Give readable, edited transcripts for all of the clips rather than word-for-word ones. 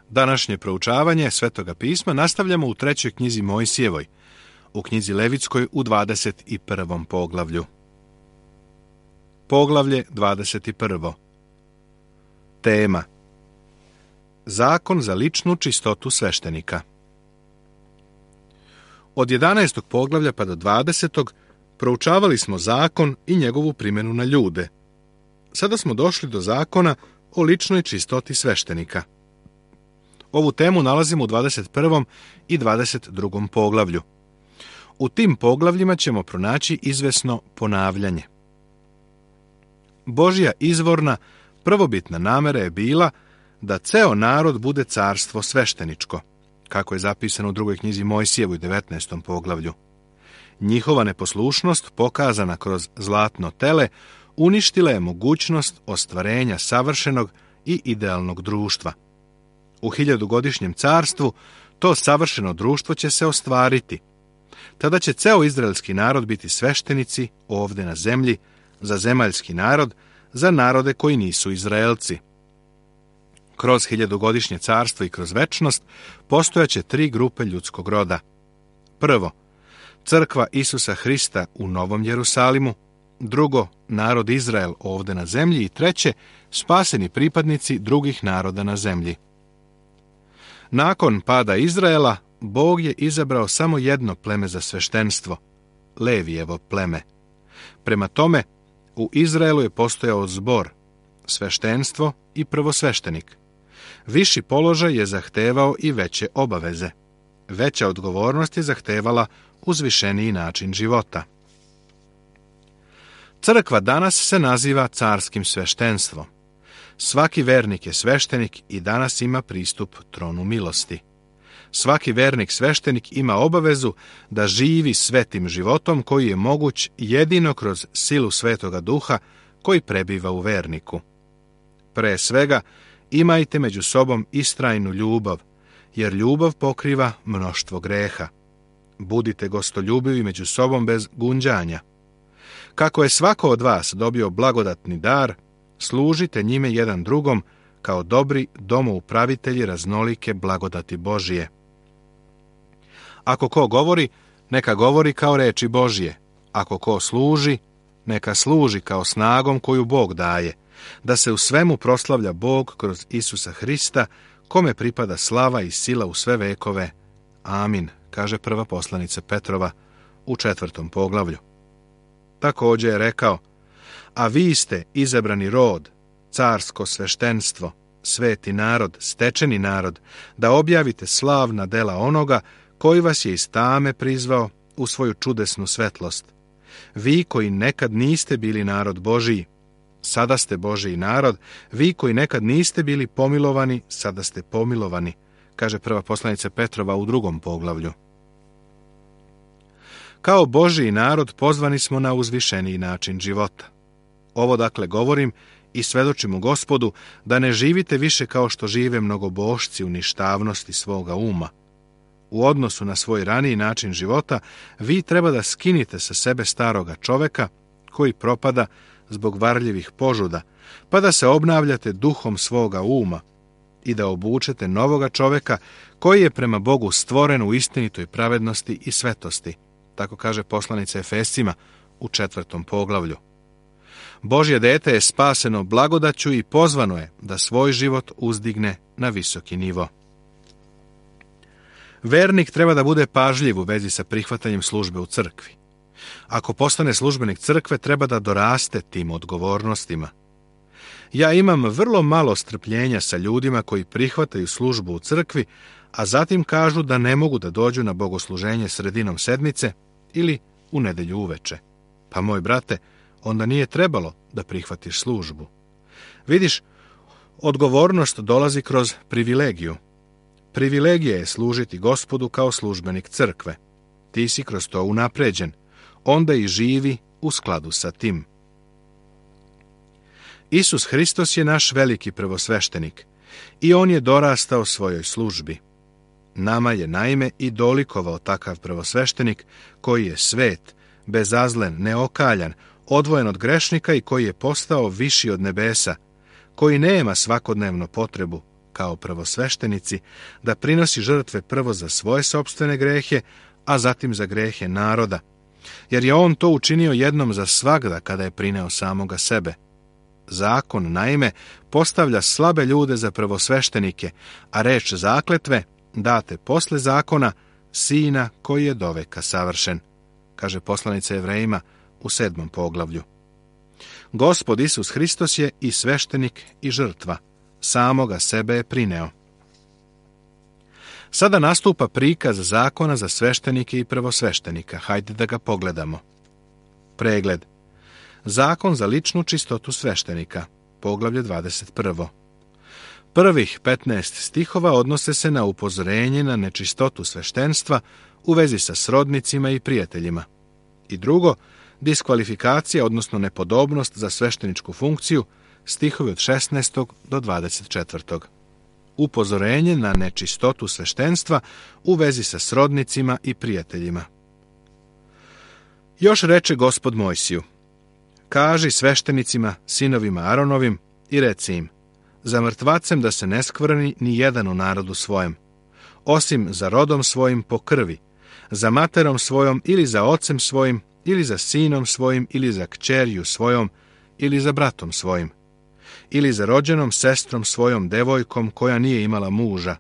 Današnje proučavanje Svetoga pisma nastavljamo u 3. knjizi Mojsijevoj, u knjizi Levitskoj u 21. poglavlju. Poglavlje 21. Tema: Zakon za ličnu čistotu sveštenika. Od 11. poglavlja pa do 20. proučavali smo zakon i njegovu primjenu na ljude. Sada smo došli do zakona o ličnoj čistoti sveštenika. Ovu temu nalazimo u 21. i 22. poglavlju. U tim poglavljima ćemo pronaći izvesno ponavljanje. Božja izvorna, prvobitna namera je bila da ceo narod bude carstvo svešteničko, kako je zapisano u 2. knjizi Mojsijevoj u 19. poglavlju. Njihova neposlušnost, pokazana kroz zlatno tele, uništila je mogućnost ostvarenja savršenog i idealnog društva. U 1000-godišnjem carstvu to savršeno društvo će se ostvariti. Tada će ceo izraelski narod biti sveštenici ovdje na zemlji, za zemaljski narod, za narode koji nisu Izraelci. Kroz 1000-godišnje carstvo i kroz večnost postojaće 3 grupe ljudskog roda. Prvo, crkva Isusa Hrista u Novom Jerusalimu. Drugo, narod Izrael ovdje na zemlji. I treće, spaseni pripadnici drugih naroda na zemlji. Nakon pada Izraela, Bog je izabrao samo jedno pleme za sveštenstvo, Levijevo pleme. Prema tome, u Izraelu je postojao zbor, sveštenstvo i prvosveštenik. Viši položaj je zahtevao i veće obaveze. Veća odgovornost je zahtevala uzvišeniji način života. Crkva danas se naziva carskim sveštenstvom. Svaki vernik je sveštenik i danas ima pristup tronu milosti. Svaki vernik sveštenik ima obavezu da živi svetim životom koji je moguć jedino kroz silu Svetoga Duha koji prebiva u verniku. Pre svega, imajte među sobom istrajnu ljubav, jer ljubav pokriva mnoštvo greha. Budite gostoljubivi među sobom bez gunđanja. Kako je svako od vas dobio blagodatni dar, služite njime jedan drugom kao dobri domoupravitelji raznolike blagodati Božije. Ako ko govori, neka govori kao reči Božije. Ako ko služi, neka služi kao snagom koju Bog daje, da se u svemu proslavlja Bog kroz Isusa Hrista, kome pripada slava i sila u sve vekove. Amin, kaže prva poslanica Petrova u 4. poglavlju. Također je rekao: a vi ste izabrani rod, carsko sveštenstvo, sveti narod, stečeni narod, da objavite slavna dela onoga koji vas je iz tame prizvao u svoju čudesnu svetlost. Vi koji nekad niste bili narod Božiji, sada ste Božiji narod. Vi koji nekad niste bili pomilovani, sada ste pomilovani, kaže prva poslanica Petrova u 2. poglavlju. Kao Božiji narod pozvani smo na uzvišeniji način života. Ovo dakle govorim i svedočim u Gospodu da ne živite više kao što žive mnogobošci u ništavnosti svoga uma. U odnosu na svoj raniji način života, vi treba da skinite sa sebe staroga čoveka koji propada zbog varljivih požuda, pa da se obnavljate duhom svoga uma i da obučete novoga čoveka koji je prema Bogu stvoren u istinitoj pravednosti i svetosti, tako kaže poslanica Efescima u 4. poglavlju. Božje dete je spaseno blagodaću i pozvano je da svoj život uzdigne na visoki nivo. Vernik treba da bude pažljiv u vezi sa prihvatanjem službe u crkvi. Ako postane službenik crkve, treba da doraste tim odgovornostima. Ja imam vrlo malo strpljenja sa ljudima koji prihvataju službu u crkvi, a zatim kažu da ne mogu da dođu na bogosluženje sredinom sedmice ili u nedelju uveče. Pa moj brate, onda nije trebalo da prihvatiš službu. Vidiš, odgovornost dolazi kroz privilegiju. Privilegija je služiti Gospodu kao službenik crkve. Ti si kroz to unapređen, onda i živi u skladu sa tim. Isus Hristos je naš veliki prvosveštenik i on je dorastao svojoj službi. Nama je naime i dolikovao takav prvosveštenik koji je svet, bezazlen, neokaljan, odvojen od grešnika i koji je postao viši od nebesa, koji nema svakodnevno potrebu, kao prvosveštenici, da prinosi žrtve prvo za svoje sopstvene grehe, a zatim za grehe naroda, jer je on to učinio jednom za svagda kada je prineo samoga sebe. Zakon, naime, postavlja slabe ljude za prvosveštenike, a reč zakletve date posle zakona Sina koji je doveka savršen, kaže poslanica Jevrejima u 7. poglavlju. Gospod Isus Hristos je i sveštenik i žrtva, samoga sebe je prineo. Sada nastupa prikaz zakona za sveštenike i prvosveštenika. Hajde da ga pogledamo. Pregled. Zakon za ličnu čistotu sveštenika. Poglavlje 21. Prvih 15 stihova odnose se na upozorenje na nečistotu sveštenstva u vezi sa srodnicima i prijateljima. I drugo, diskvalifikacija, odnosno nepodobnost za svešteničku funkciju, stihovi od 16. do 24. Upozorenje na nečistotu sveštenstva u vezi sa srodnicima i prijateljima. Još reče Gospod Mojsiju: kaži sveštenicima, sinovima Aronovim, i reci im: za mrtvacem da se ne skvrni ni jedan u narodu svojem, osim za rodom svojim po krvi, za materom svojom ili za ocem svojim, ili za sinom svojim, ili za kćerju svojom, ili za bratom svojim, ili za rođenom sestrom svojom devojkom koja nije imala muža,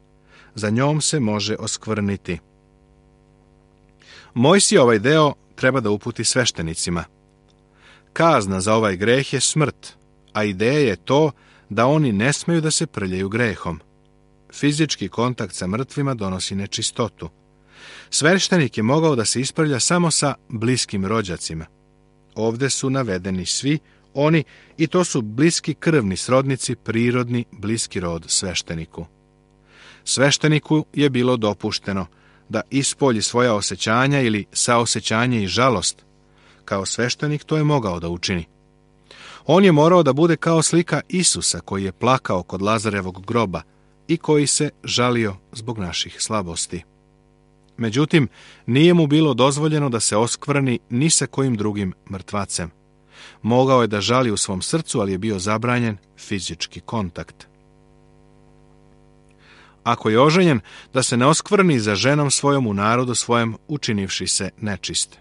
za njom se može oskvrniti. Mojsije ovaj deo treba da uputi sveštenicima. Kazna za ovaj greh je smrt, a ideja je to da oni ne smeju da se prljaju grehom. Fizički kontakt sa mrtvima donosi nečistotu. Sveštenik je mogao da se isprlja samo sa bliskim rođacima. Ovde su navedeni svi oni, i to su bliski krvni srodnici, prirodni bliski rod svešteniku. Svešteniku je bilo dopušteno da ispolji svoja osjećanja ili saosećanje i žalost. Kao sveštenik to je mogao da učini. On je morao da bude kao slika Isusa koji je plakao kod Lazarevog groba i koji se žalio zbog naših slabosti. Međutim, nije mu bilo dozvoljeno da se oskvrni ni sa kojim drugim mrtvacem. Mogao je da žali u svom srcu, ali je bio zabranjen fizički kontakt. Ako je oženjen, da se ne oskvrni za ženom svojom u narodu svojem, učinivši se nečist.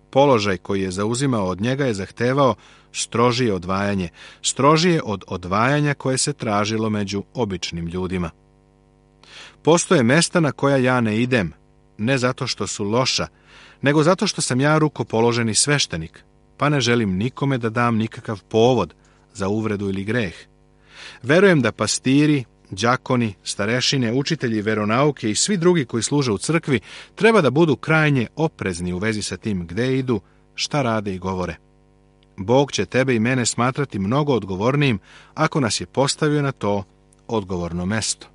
Položaj koji je zauzimao od njega je zahtevao strožije odvajanje, strožije od odvajanja koje se tražilo među običnim ljudima. Postoje mesta na koja ja ne idem, ne zato što su loša, nego zato što sam ja rukopoloženi sveštenik, pa ne želim nikome da dam nikakav povod za uvredu ili greh. Verujem da pastiri, đakoni, starešine, učitelji veronauke i svi drugi koji služe u crkvi treba da budu krajnje oprezni u vezi sa tim gde idu, šta rade i govore. Bog će tebe i mene smatrati mnogo odgovornijim ako nas je postavio na to odgovorno mesto.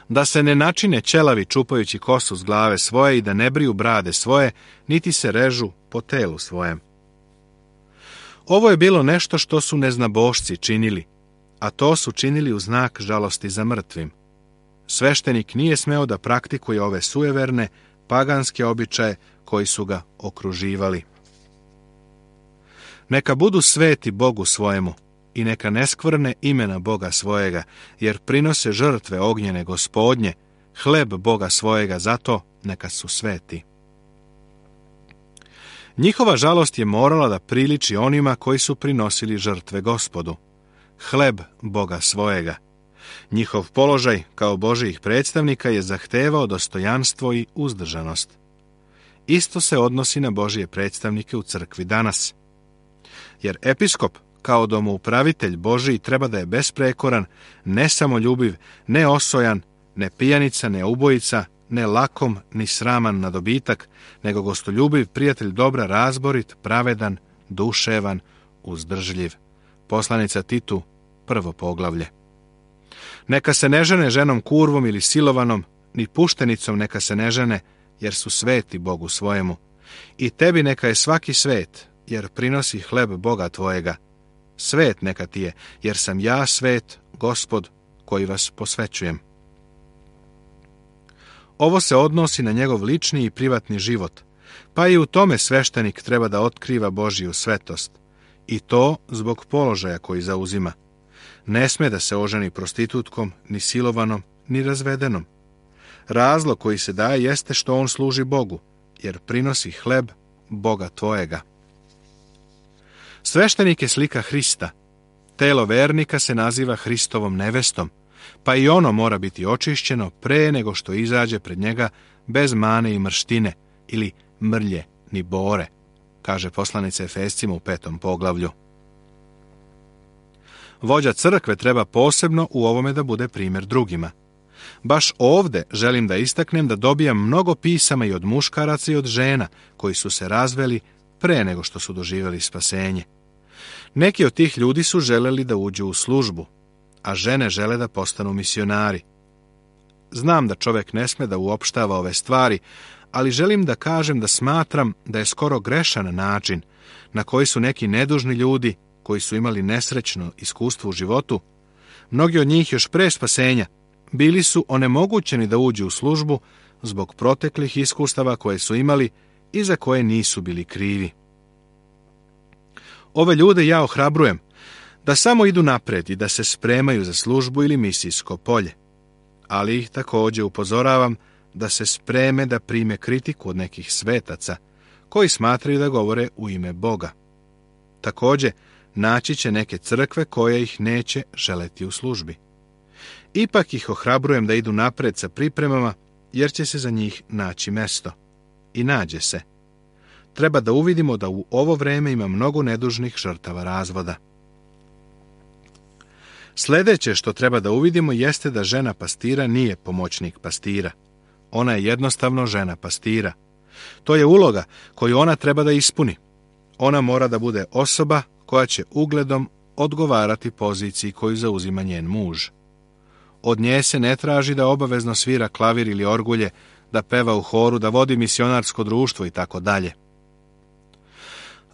Da se ne načine ćelavi čupajući kosu s glave svoje i da ne briju brade svoje, niti se režu po telu svojem. Ovo je bilo nešto što su neznabošci činili, a to su činili u znak žalosti za mrtvim. Sveštenik nije smeo da praktikuje ove sujeverne, paganske običaje koji su ga okruživali. Neka budu sveti Bogu svojemu i neka ne skvrne imena Boga svojega, jer prinose žrtve ognjene Gospodnje, hleb Boga svojega, zato neka su sveti. Njihova žalost je morala da priliči onima koji su prinosili žrtve Gospodu, hleb Boga svojega. Njihov položaj kao Božijih predstavnika je zahtevao dostojanstvo i uzdržanost. Isto se odnosi na Božije predstavnike u crkvi danas. Jer episkop, kao domoupravitelj Božiji, treba da je besprekoran, ne samoljubiv, ne osojan, ne pijanica, ne ubojica, ne lakom, ni sraman na dobitak, nego gostoljubiv, prijatelj dobra, razborit, pravedan, duševan, uzdržljiv. Poslanica Titu, 1. poglavlje. Neka se ne žene ženom kurvom ili silovanom, ni puštenicom neka se ne žene, jer su sveti Bogu svojemu. I tebi neka je svaki svet, jer prinosi hleb Boga tvojega. Svet neka ti je, jer sam ja svet, Gospod, koji vas posvećujem. Ovo se odnosi na njegov lični i privatni život, pa i u tome sveštenik treba da otkriva Božiju svetost, i to zbog položaja koji zauzima. Ne sme da se oženi prostitutkom, ni silovanom, ni razvedenom. Razlog koji se daje jeste što on služi Bogu, jer prinosi hleb Boga tvojega. Sveštenik je slika Hrista. Telo vernika se naziva Hristovom nevestom, pa i ono mora biti očišćeno pre nego što izađe pred njega bez mane i mrštine, ili mrlje ni bore, kaže poslanica Efescima u 5. poglavlju. Vođa crkve treba posebno u ovome da bude primjer drugima. Baš ovde želim da istaknem da dobijam mnogo pisama i od muškaraca i od žena koji su se razveli pre nego što su doživjeli spasenje. Neki od tih ljudi su želeli da uđu u službu, a žene žele da postanu misionari. Znam da čovjek ne sme da uopštava ove stvari, ali želim da kažem da smatram da je skoro grešan način na koji su neki nedužni ljudi koji su imali nesrećno iskustvo u životu, mnogi od njih još pre spasenja, bili su onemogućeni da uđu u službu zbog proteklih iskustava koje su imali i za koje nisu bili krivi. Ove ljude ja ohrabrujem da samo idu napred i da se spremaju za službu ili misijsko polje, ali ih također upozoravam da se spreme da prime kritiku od nekih svetaca koji smatraju da govore u ime Boga. Također, naći će neke crkve koje ih neće želeti u službi. Ipak ih ohrabrujem da idu napred sa pripremama, jer će se za njih naći mesto. I nađe se. Treba da uvidimo da u ovo vreme ima mnogo nedužnih žrtava razvoda. Sljedeće što treba da uvidimo jeste da žena pastira nije pomoćnik pastira. Ona je jednostavno žena pastira. To je uloga koju ona treba da ispuni. Ona mora da bude osoba koja će ugledom odgovarati poziciji koju zauzima njen muž. Od nje se ne traži da obavezno svira klavir ili orgulje, da peva u horu, da vodi misionarsko društvo i tako dalje.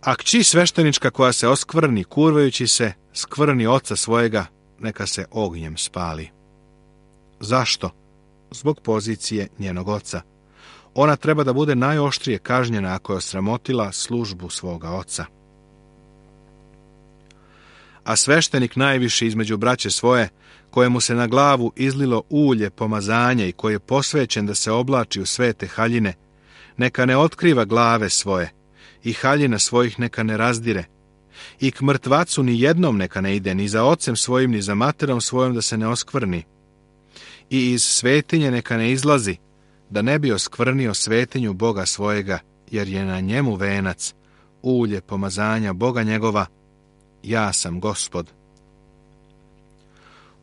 A kći sveštenička koja se oskvrni kurvajući se, skvrni oca svojega, neka se ognjem spali. Zašto? Zbog pozicije njenog oca. Ona treba da bude najoštrije kažnjena ako je osramotila službu svoga oca. A sveštenik najviše između braće svoje, kojemu se na glavu izlilo ulje pomazanja i koji je posvećen da se oblači u svete haljine, neka ne otkriva glave svoje i haljina svojih neka ne razdire, i k mrtvacu ni jednom neka ne ide, ni za ocem svojim, ni za materom svojom da se ne oskvrni. I iz svetinje neka ne izlazi, da ne bi oskvrnio svetinju Boga svojega, jer je na njemu venac, ulje pomazanja Boga njegova, ja sam Gospod.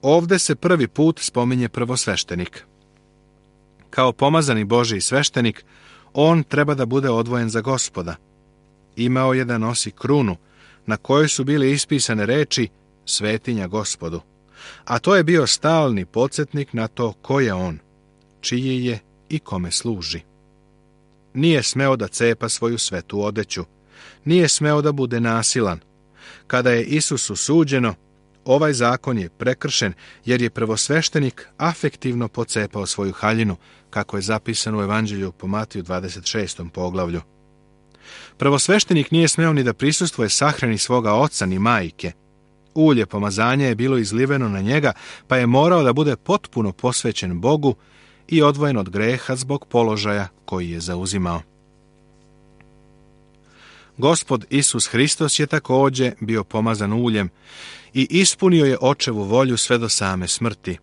Ovde se prvi put spominje prvosveštenik. Kao pomazani Božji sveštenik, on treba da bude odvojen za Gospoda. Imao je da nosi krunu, na kojoj su bile ispisane reči svetinja Gospodu, a to je bio stalni podsjetnik na to ko je on, čiji je i kome služi. Nije smeo da cepa svoju svetu odeću, nije smeo da bude nasilan. Kada je Isusu suđeno, ovaj zakon je prekršen, jer je prvosveštenik afektivno pocepao svoju haljinu, kako je zapisano u Evanđelju po Matiju 26. poglavlju. Prvosveštenik nije smeo ni da prisustvuje sahrani svoga oca ni majke. Ulje pomazanja je bilo izliveno na njega, pa je morao da bude potpuno posvećen Bogu i odvojen od greha zbog položaja koji je zauzimao. Gospod Isus Hristos je također bio pomazan uljem i ispunio je očevu volju sve do same smrti.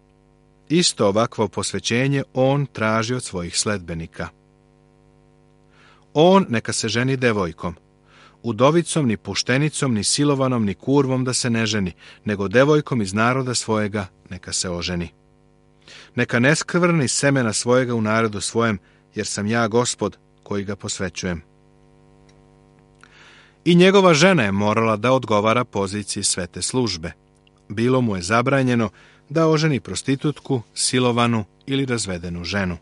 Isto ovakvo posvećenje on traži od svojih sledbenika. On neka se ženi devojkom, udovicom, ni puštenicom, ni silovanom, ni kurvom da se ne ženi, nego devojkom iz naroda svojega neka se oženi. Neka ne skvrni semena svojega u narodu svojem, jer sam ja Gospod koji ga posvećujem. I njegova žena je morala da odgovara poziciji svete službe. Bilo mu je zabranjeno da oženi prostitutku, silovanu ili razvedenu ženu.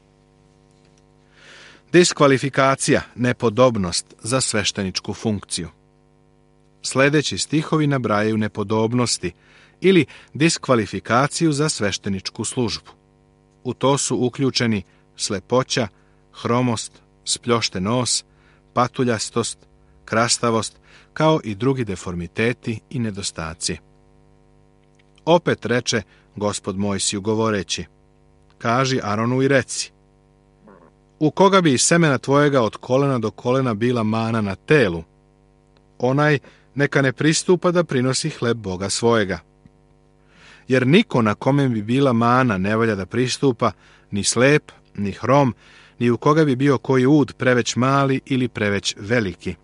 Diskvalifikacija, nepodobnost za svešteničku funkciju. Sljedeći stihovi nabrajaju nepodobnosti ili diskvalifikaciju za svešteničku službu. U to su uključeni slepoća, hromost, spljošten nos, patuljastost, krastavost, kao i drugi deformiteti i nedostaci. Opet reče Gospod Mojsiju govoreći: kaži Aronu i reci: u koga bi iz semena tvojega od kolena do kolena bila mana na telu, onaj neka ne pristupa da prinosi hleb Boga svojega. Jer niko na kome bi bila mana ne valja da pristupa, ni slep, ni hrom, ni u koga bi bio koji ud preveć mali ili preveć veliki,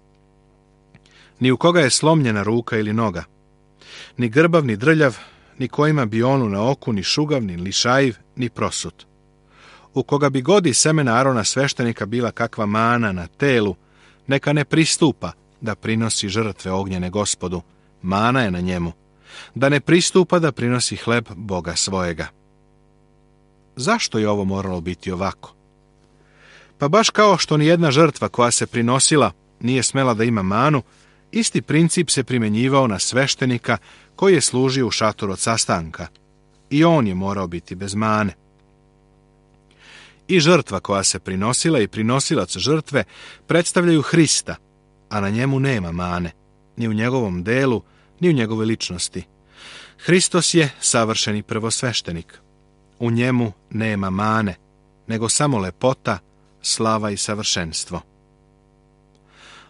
ni u koga je slomljena ruka ili noga, ni grbav, ni drljav, ni ko ima bionu na oku, ni šugav, ni lišajiv, ni prosut. U koga bi god iz semena Arona sveštenika bila kakva mana na telu, neka ne pristupa da prinosi žrtve ognjene Gospodu, mana je na njemu, da ne pristupa da prinosi hleb Boga svojega. Zašto je ovo moralo biti ovako? Pa baš kao što ni jedna žrtva koja se prinosila nije smela da ima manu, isti princip se primjenjivao na sveštenika koji je služio u šatoru od sastanka. I on je morao biti bez mane. I žrtva koja se prinosila i prinosilac žrtve predstavljaju Hrista, a na njemu nema mane, ni u njegovom delu, ni u njegove ličnosti. Hristos je savršeni prvosveštenik. U njemu nema mane, nego samo lepota, slava i savršenstvo.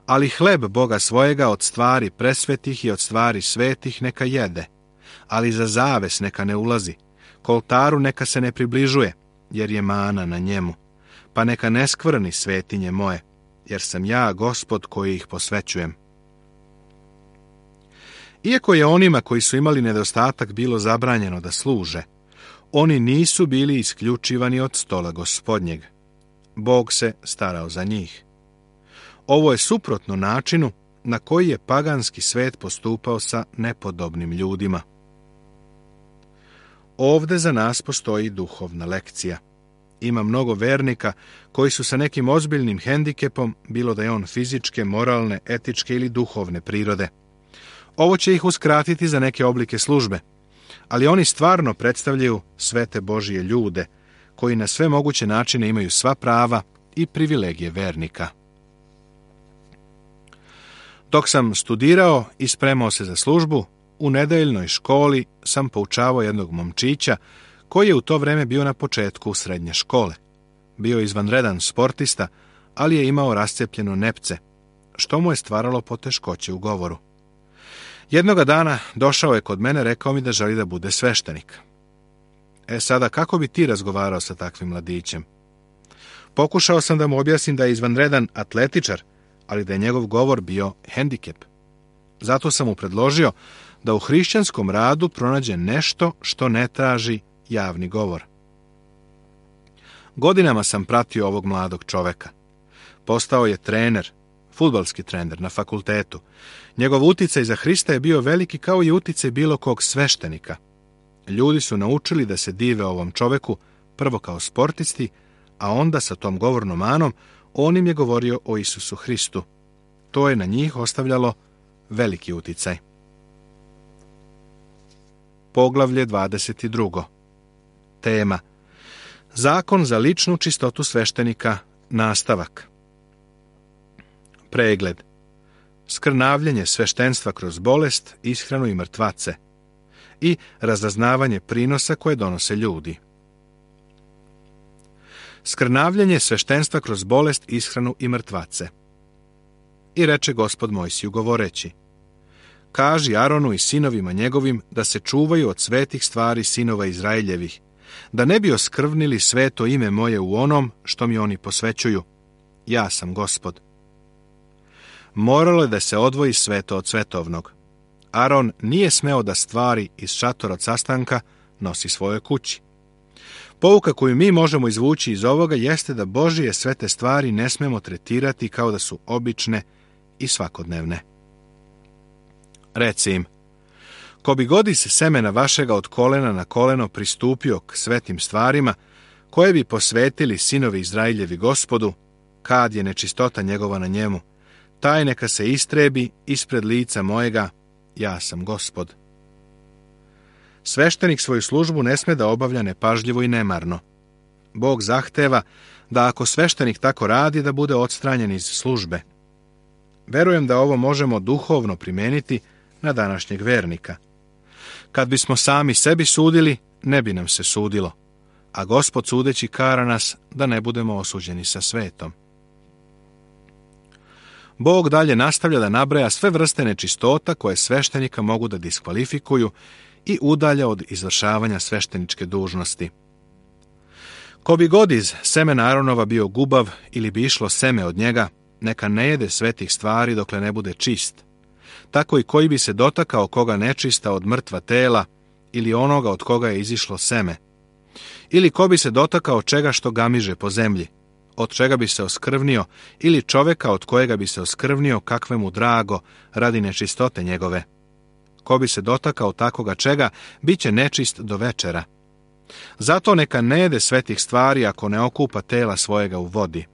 Ali hleb Boga svojega od stvari presvetih i od stvari svetih neka jede, ali za zaves neka ne ulazi, k oltaru neka se ne približuje, jer je mana na njemu, pa neka ne skvrni svetinje moje, jer sam ja Gospod koji ih posvećujem. Iako je onima koji su imali nedostatak bilo zabranjeno da služe, oni nisu bili isključivani od stola Gospodnjeg. Bog se starao za njih. Ovo je suprotno načinu na koji je paganski svet postupao sa nepodobnim ljudima. Ovde za nas postoji duhovna lekcija. Ima mnogo vernika koji su sa nekim ozbiljnim hendikepom, bilo da je on fizičke, moralne, etičke ili duhovne prirode. Ovo će ih uskratiti za neke oblike službe, ali oni stvarno predstavljaju svete Božije ljude, koji na sve moguće načine imaju sva prava i privilegije vernika. Dok sam studirao i spremao se za službu, u nedeljnoj školi sam poučavao jednog momčića koji je u to vreme bio na početku srednje škole. Bio je izvanredan sportista, ali je imao rascepljeno nepce, što mu je stvaralo poteškoće u govoru. Jednoga dana došao je kod mene, rekao mi da želi da bude sveštenik. Sada, kako bi ti razgovarao sa takvim mladićem? Pokušao sam da mu objasnim da je izvanredan atletičar, ali da je njegov govor bio hendikep. Zato sam mu predložio da u hrišćanskom radu pronađe nešto što ne traži javni govor. Godinama sam pratio ovog mladog čoveka. Postao je trener, fudbalski trener na fakultetu. Njegov uticaj za Hrista je bio veliki kao i uticaj bilo kog sveštenika. Ljudi su naučili da se dive ovom čoveku, prvo kao sportisti, a onda sa tom govornom manom on im je govorio o Isusu Hristu. To je na njih ostavljalo veliki uticaj. Poglavlje 22. Tema: Zakon za ličnu čistotu sveštenika, nastavak. Pregled: Skrnavljenje sveštenstva kroz bolest, ishranu i mrtvace i razaznavanje prinosa koje donose ljudi. Skrnavljenje sveštenstva kroz bolest, ishranu i mrtvace. I reče Gospod Mojsiju govoreći: kaži Aronu i sinovima njegovim da se čuvaju od svetih stvari sinova Izraeljevih, da ne bi oskrvnili sveto ime moje u onom što mi oni posvećuju. Ja sam Gospod. Moralo je da se odvoji sveto od svetovnog. Aron nije smeo da stvari iz šatora od sastanka nosi svojoj kući. Pouka koju mi možemo izvući iz ovoga jeste da Božije svete stvari ne smemo tretirati kao da su obične i svakodnevne. Reci im: ko bi god iz semena vašega od kolena na koleno pristupio k svetim stvarima, koje bi posvetili sinovi Izraeljevi Gospodu, kad je nečistota njegova na njemu, taj neka se istrebi ispred lica mojega, ja sam Gospod. Sveštenik svoju službu ne sme da obavlja nepažljivo i nemarno. Bog zahteva da ako sveštenik tako radi, da bude odstranjen iz službe. Verujem da ovo možemo duhovno primeniti na današnjeg vernika. Kad bismo sami sebi sudili, ne bi nam se sudilo, a Gospod sudeći kara nas da ne budemo osuđeni sa svetom. Bog dalje nastavlja da nabraja sve vrste nečistota koje sveštenika mogu da diskvalifikuju i udalja od izvršavanja svešteničke dužnosti. Ko bi god iz semena Aronova bio gubav ili bi išlo seme od njega, neka ne jede svetih stvari dokle ne bude čist. Tako i koji bi se dotakao koga nečista od mrtva tela ili onoga od koga je izišlo seme. Ili ko bi se dotakao čega što gamiže po zemlji, od čega bi se oskrvnio, ili čoveka od kojega bi se oskrvnio kakve mu drago radi nečistote njegove. Ko bi se dotakao takoga čega, bit će nečist do večera. Zato neka ne jede svetih stvari ako ne okupa tela svojega u vodi.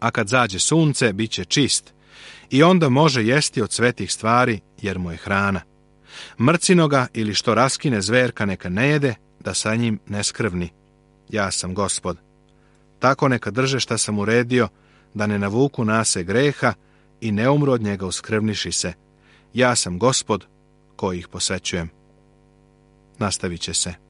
A kad zađe sunce, bit će čist, i onda može jesti od svetih stvari, jer mu je hrana. Mrcinoga ili što raskine zverka neka ne jede, da sa njim ne skrvni. Ja sam Gospod. Tako neka drže šta sam uredio, da ne navuku nase greha i ne umru od njega uskrvniši se. Ja sam Gospod koji ih posećujem. Nastavit će se.